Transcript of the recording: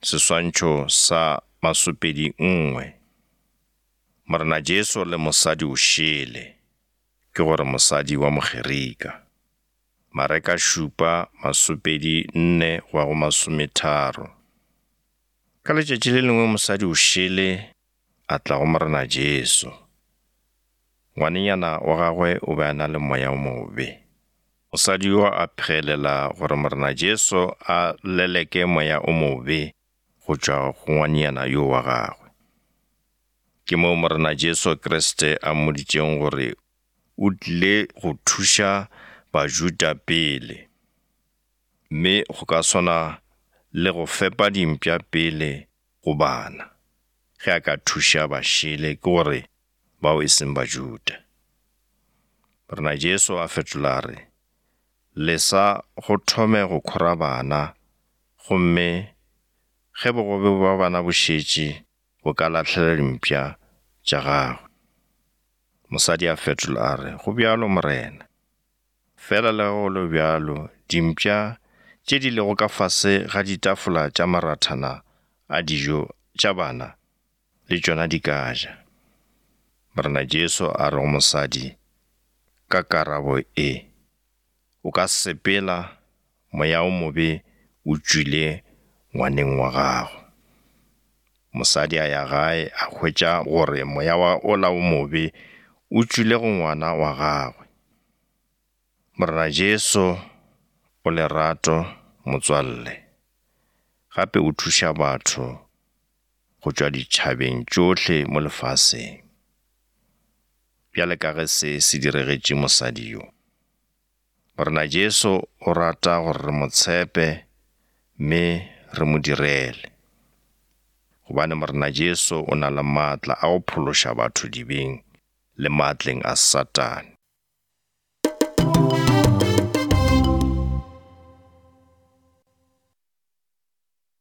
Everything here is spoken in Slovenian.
Seswantšho sa 21. Morena Jesu le mosadi o šele, ke gore mosadi wa Mogerika. Mareka 7:24 go ya go 30. Ka letšatši le lengwe mosadi o šele a tla go morena Jesu. Ngwanenyana wa gagwe o be a na le moya o mobe. Mosadi yo a phegelela gore morena Jesu a leleke moya o mobe go tšwa go ngwanenyana yo wa gagwe. Ke moo morena Jesu Kriste a mmoditšeng gore o tlile go thuša Bajuda pele, mme go ka swana le go fepa dimpša pele go bana, ge a ka thuša bašele ke gore bao e seng Bajuda. Morena Jesu a fetola re, lesa go thome go khora bana, gomme ge bogobe ba bana bo šetše bo ka lahlela dimpša tša gagwe. Mosadi a fetola a re, go bjalo morena. Fela le go le bjalo, dimpša tše di lego ka fase ga ditafola tša marathana a dijo tša bana le tšona di ka ja. Morena Jesu a re go mosadi ka karabo e, o ka sepela moya o mobe o tšwile ngwaneng wa gago. Mosadi a ya gae a hwetša gore moya wa ola o mobe o tšwile go ngwana wa gagwe. Morena Jesu o lerato motswalle, gape o thuša batho go tšwa ditšhabeng tšohle mo lefaseng. Bjale ka ge se diregetše mosadi yo, morena Jesu o rata gore re mo tshepe mme re mo direle, gobane morena Jesu o na le maatla a go phološa batho dibeng le maatleng a Satane.